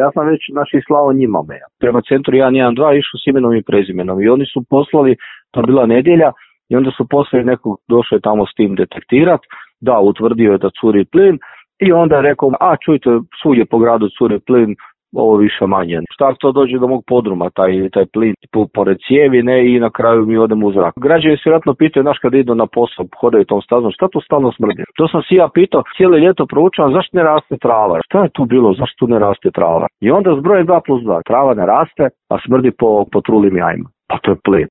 ja sam već slao njima mail. Prema centru 112 išao s imenom i prezimenom i oni su poslali, to je bila nedjelja, i onda su poslali nekog, došao je tamo s tim detektirati, da, utvrdio je da curi plin i onda je rekao, čujte, svugdje po gradu curi plin, ovo više manje. Šta to dođe do mog podruma, taj plin pored cijevi, ne, i na kraju mi odemo u zrak. Građani se vjerojatno pitaju, kad idu na posao, hodaju tom stazom, šta to stalno smrdi? To sam si ja pitao, cijelo ljeto proučavam, zašto ne raste trava? Šta je tu bilo, zašto ne raste trava? I onda zbroje 2+2, trava ne raste, a smrdi po trulim jajima. Pa to je plin.